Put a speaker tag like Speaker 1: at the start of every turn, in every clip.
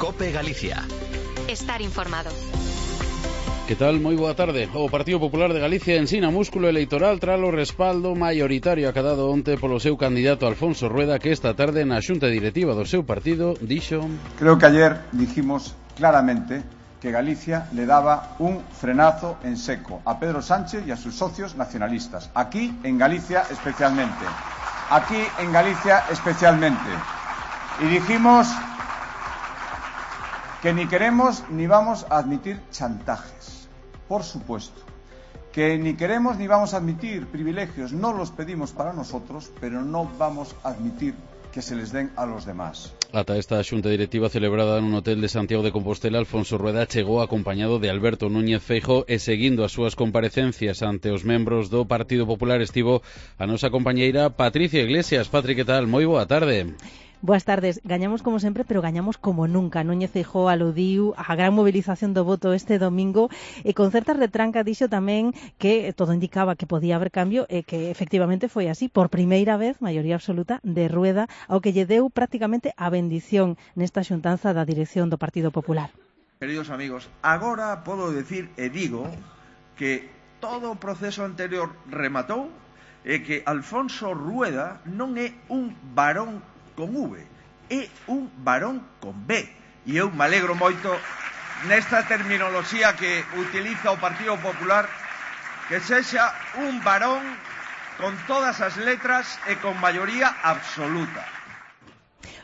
Speaker 1: COPE Galicia.
Speaker 2: Estar informado.
Speaker 3: Que tal? Moi boa tarde. O Partido Popular de Galicia ensina músculo electoral tras o respaldo maioritario acadado onte polo seu candidato Alfonso Rueda, que esta tarde na xunta directiva do seu partido dixo:
Speaker 4: Creo que ayer dijimos claramente que Galicia le daba un frenazo en seco a Pedro Sánchez y a sus socios nacionalistas. Aquí en Galicia especialmente. Aquí en Galicia especialmente. Y dijimos que ni queremos ni vamos a admitir chantajes. Por supuesto, que ni queremos ni vamos a admitir privilegios, no los pedimos para nosotros, pero no vamos a admitir que se les den a los demás.
Speaker 3: Ata esta xunta directiva celebrada nun hotel de Santiago de Compostela, Alfonso Rueda chegou acompañado de Alberto Núñez Feijóo e seguindo as súas comparecencias ante os membros do Partido Popular estivo a nosa compañeira Patricia Iglesias. Patri, que tal? Moi boa tarde.
Speaker 5: Boas tardes. Gañamos como sempre, pero gañamos como nunca. Núñez Feijóo aludiu á gran mobilización do voto este domingo e con certa retranca dixo tamén que todo indicaba que podía haber cambio e que efectivamente foi así. Por primeira vez, maioría absoluta de Rueda, ao que lle deu prácticamente a bendición nesta xuntanza da dirección do Partido Popular.
Speaker 6: Queridos amigos, agora podo decir e digo que todo o proceso anterior rematou e que Alfonso Rueda non é un varón con V, é un varón con B. E eu me alegro moito nesta terminoloxía que utiliza o Partido Popular, que sexa un varón con todas as letras e con maioría absoluta.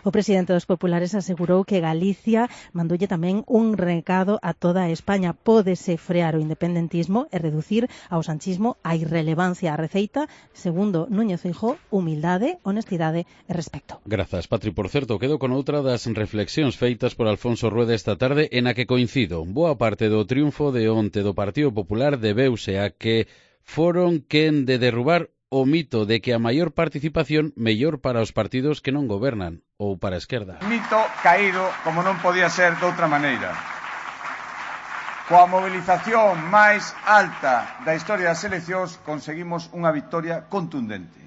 Speaker 5: O presidente dos populares asegurou que Galicia mandoulle tamén un recado a toda España. Pódese frear o independentismo e reducir ao sanchismo a irrelevancia. A receita, segundo Núñez Feijóo, humildade, honestidade e respecto.
Speaker 3: Grazas, Patri. Por certo, quedo con outra das reflexións feitas por Alfonso Rueda esta tarde en a que coincido. Boa parte do triunfo de onte do Partido Popular debeuse a que foron quen de derrubar o mito de que a maior participación mellor para os partidos que non gobernan ou para a esquerda.
Speaker 4: Mito caído como non podía ser de outra maneira. Coa mobilización máis alta da historia das eleccións conseguimos unha victoria contundente.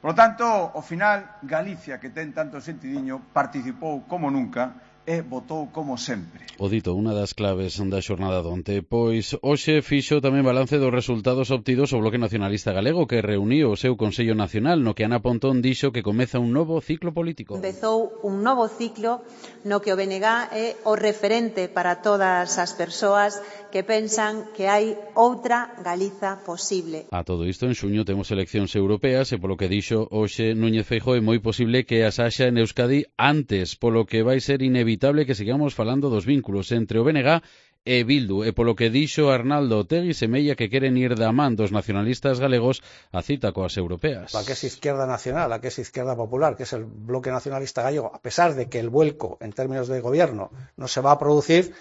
Speaker 4: Por lo tanto, ao final, Galicia, que ten tanto sentidiño, participou como nunca e votou como sempre.
Speaker 3: O dito, unha das claves da xornada donte, pois hoxe fixo tamén balance dos resultados obtidos o Bloque Nacionalista Galego, que reuniu o seu Consello Nacional, no que Ana Pontón dixo que comeza un novo ciclo político.
Speaker 7: Empezou un novo ciclo no que o BNG é o referente para todas as persoas que pensan que hai outra Galiza posible.
Speaker 3: A todo isto, en xuño temos eleccións europeas e polo que dixo hoxe Núñez Feijóo é moi posible que as haxa en Euskadi antes, polo que vai ser inevitable que sigamos falando dos vínculos entre o BNG e Bildu, e polo que dixo Arnaldo Otegi semella que queren ir da man dos nacionalistas galegos a cita coas europeas.
Speaker 8: La que es izquierda nacional, la que es izquierda popular, que es el bloque nacionalista gallego, a pesar de que el vuelco en términos de gobierno no se va a producir,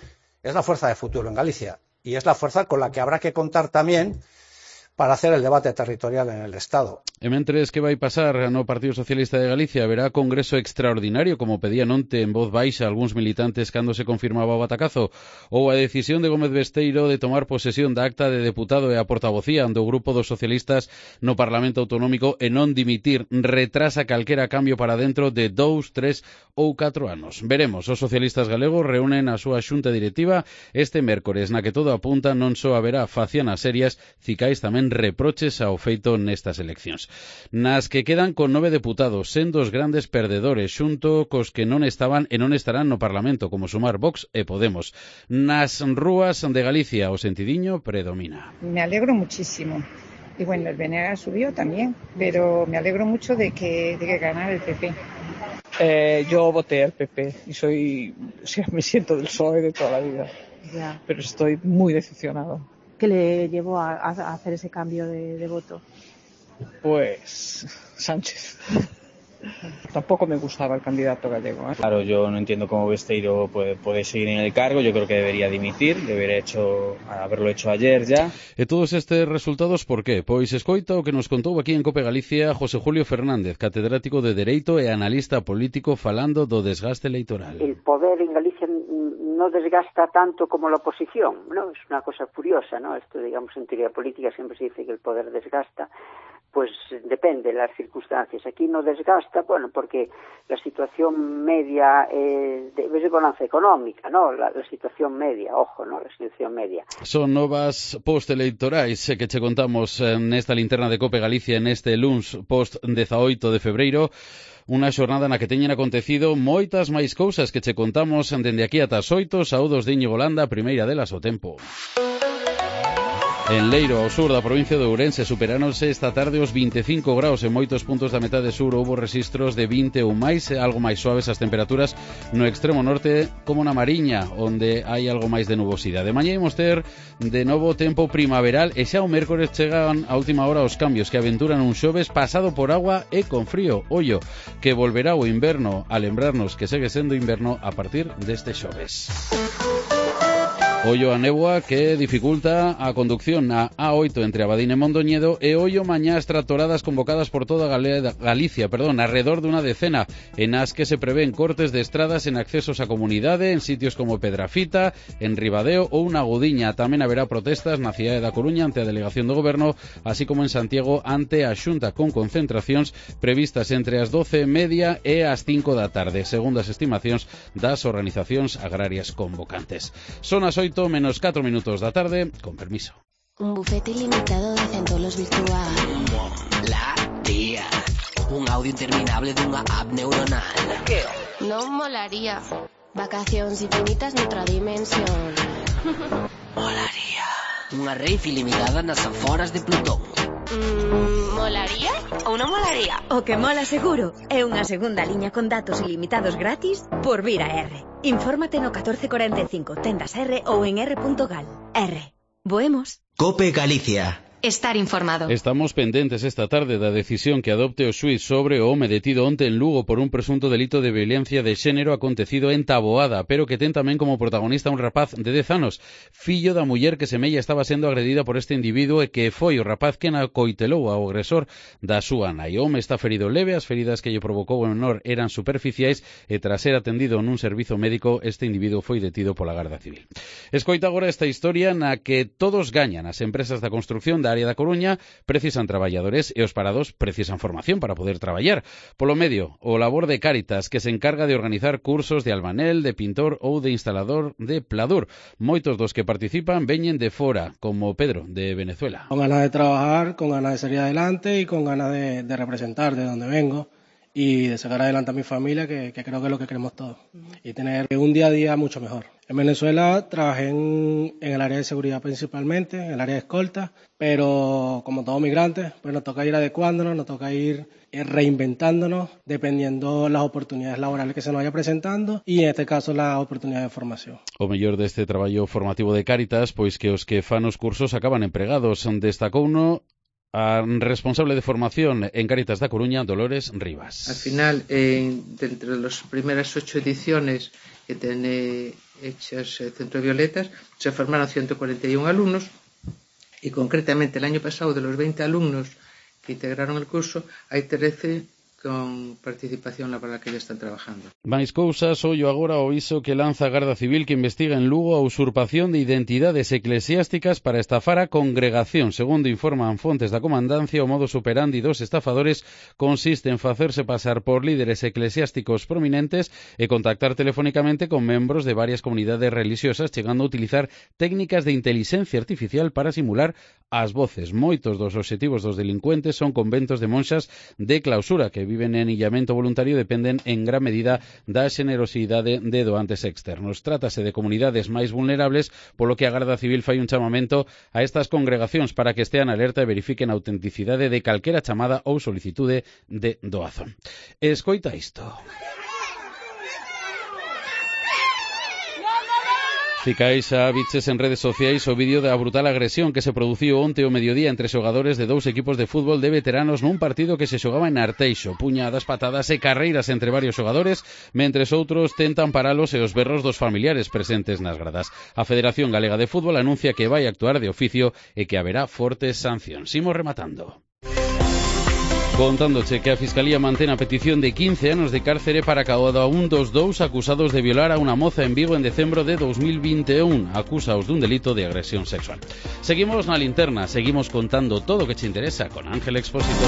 Speaker 8: es la fuerza de futuro en Galicia y es la fuerza con la que habrá que contar también para hacer el debate territorial en el Estado.
Speaker 3: E mentres que vai pasar no Partido Socialista de Galicia, haberá congreso extraordinario, como pedían onte en voz baixa algúns militantes cando se confirmaba o batacazo, ou a decisión de Gómez Besteiro de tomar posesión da acta de deputado e a portavocía do grupo dos socialistas no Parlamento Autonómico e non dimitir retrasa calquera cambio para dentro de 2, 3 ou 4 anos. Veremos, os socialistas galegos reúnen a súa xunta directiva este mércores, na que todo apunta non só haberá facianas serias, cicais tamén reproches ao feito nestas eleccións, nas que quedan con 9 deputados, sendo os grandes perdedores, xunto cos que non estaban e non estarán no Parlamento, como Sumar, Vox e Podemos. Nas rúas de Galicia o sentidiño predomina.
Speaker 9: Me alegro muchísimo. Y bueno, el BNG subió también, pero me alegro mucho de que ganara el PP.
Speaker 10: Yo voté al PP y me siento del PSOE de toda la vida,
Speaker 9: Ya.
Speaker 10: pero estoy muy decepcionado.
Speaker 9: ¿Qué le llevó a hacer ese cambio de voto?
Speaker 10: Pues Sánchez. Tampoco me gustaba el candidato gallego.
Speaker 11: Claro, yo no entiendo cómo Besteiro puede seguir en el cargo. Yo creo que debería dimitir, haberlo hecho ayer ya.
Speaker 3: E todos estes resultados, por qué? Pois escoita o que nos contou aquí en COPE Galicia José Julio Fernández, catedrático de Dereito e analista político, falando do desgaste electoral.
Speaker 12: El poder en Galicia no desgasta tanto como la oposición, ¿no? Es una cosa curiosa, ¿no? Esto, digamos, en teoría política siempre se dice que el poder desgasta, pues depende de las circunstancias. Aquí no desgasta, bueno, porque la situación media es de balanza económica, ¿no? La situación media, ojo, ¿no? La situación media.
Speaker 3: Son novas postelectorais que che contamos nesta linterna de Cope Galicia neste luns post 18 de febreiro. Unha xornada na que teñen acontecido moitas máis cousas que che contamos dende aquí ata as 8, saúdos de Íñigo Landa, a primeira delas o tempo. En Leiro, ao sur da provincia de Ourense, superáronse esta tarde os 25 graus. En moitos puntos da metade sur houbo registros de 20 ou máis, algo máis suaves as temperaturas no extremo norte como na Mariña, onde hai algo máis de nubosidade. De mañá imos ter de novo tempo primaveral e xa o mércores chegan a última hora os cambios que aventuran un xoves pasado por agua e con frío. Ollo, que volverá o inverno a lembrarnos que segue sendo inverno a partir deste xoves. Ollo a néboa que dificulta a conducción na A8 entre Abadín e Mondoñedo e ollo mañás tractoradas convocadas por toda Galicia, alrededor de unha decena, en as que se prevén cortes de estradas en accesos á comunidade en sitios como Pedrafita, en Ribadeo ou na Gudiña. Tamén haberá protestas na cidade da Coruña ante a delegación do Goberno, así como en Santiago ante a Xunta, con concentracións previstas entre as 12:30 e as 5 da tarde, segundo as estimacións das organizacións agrarias convocantes. Son as 8 menos 4 minutos da tarde, con permiso.
Speaker 1: Un bufete ilimitado de centolos virtual. Molaría. Un audio interminable dunha app neuronal. Que? Non molaría. Vacacións infinitas noutra dimensión. Molaría. Unha rave ilimitada nas aforas de Plutón. Molaría ou non molaría?
Speaker 13: O que mola seguro é unha segunda liña con datos ilimitados gratis por vir a R. Infórmate no 1445, tendas R ou en r.gal. R. Voemos.
Speaker 2: Cope Galicia.
Speaker 14: Estar informado.
Speaker 3: Estamos pendentes esta tarde da decisión que adopte o xuíz sobre o home detido onte en Lugo por un presunto delito de violencia de xénero acontecido en Taboada, pero que ten tamén como protagonista un rapaz de 10 anos, fillo da muller que semella estaba sendo agredida por este individuo e que foi o rapaz que acoitelou ao agresor da súa nai. O home está ferido leve, as feridas que lle provocou o menor eran superficiais e tras ser atendido nun servizo médico, este individuo foi detido pola Garda Civil. Escoita agora esta historia na que todos gañan. As empresas da construción da área da Coruña precisan traballadores e os parados precisan formación para poder traballar. Polo medio, o labor de Cáritas, que se encarga de organizar cursos de albanel, de pintor ou de instalador de pladur. Moitos dos que participan veñen de fora, como Pedro, de Venezuela.
Speaker 15: Con ganas de trabajar, con ganas de salir adelante y con ganas de representar de donde vengo y de sacar adelante a mi familia, que creo que es lo que queremos todos, y tener un día a día mucho mejor. En Venezuela trabajé en el área de seguridad principalmente, en el área de escolta, pero como todos migrantes, pues nos toca ir adecuándonos, nos toca ir reinventándonos, dependiendo las oportunidades laborales que se nos vaya presentando y en este caso la oportunidad de formación.
Speaker 3: O mellor deste traballo formativo de Cáritas, pois que os que fan os cursos acaban empregados. Destacouno a responsable de formación en Cáritas da Coruña, Dolores Rivas.
Speaker 16: Al final, dentro de las primeras 8 ediciones que tiene hechas Centro Violetas, se formaron 141 alumnos y concretamente el año pasado, de los 20 alumnos que integraron el curso, hay 13 con participación laboral que ya están trabajando.
Speaker 3: Mais cousas, ollo agora o iso que lanza a Garda Civil que investiga en Lugo a usurpación de identidades eclesiásticas para estafar a congregación. Segundo informan fontes da comandancia, o modus operandi dos estafadores consiste en facerse pasar por líderes eclesiásticos prominentes e contactar telefónicamente con membros de varias comunidades religiosas, chegando a utilizar técnicas de inteligencia artificial para simular as voces. Moitos dos obxectivos dos delincuentes son conventos de monxas de clausura que viven en illamento voluntario e dependen en gran medida da xenerosidade de doantes externos. Trátase de comunidades máis vulnerables, polo que a Garda Civil fai un chamamento a estas congregacións para que estean alerta e verifiquen a autenticidade de calquera chamada ou solicitude de doazón. Escoita isto. Ficais a biches en redes sociais o vídeo da brutal agresión que se produciu onte ao mediodía entre xogadores de dous equipos de fútbol de veteranos nun partido que se xogaba en Arteixo. Puñadas, patadas e carreiras entre varios xogadores, mentres outros tentan paralos e os berros dos familiares presentes nas gradas. A Federación Galega de Fútbol anuncia que vai actuar de oficio e que haberá fortes sancións. Imos rematando. Contándoche que a Fiscalía mantén a petición de 15 anos de cárcere para cada un dos dous acusados de violar a unha moza en Vigo en decembro de 2021. Acúsaos dun delito de agresión sexual. Seguimos na linterna, seguimos contando todo o que che interesa con Ángel Expósito.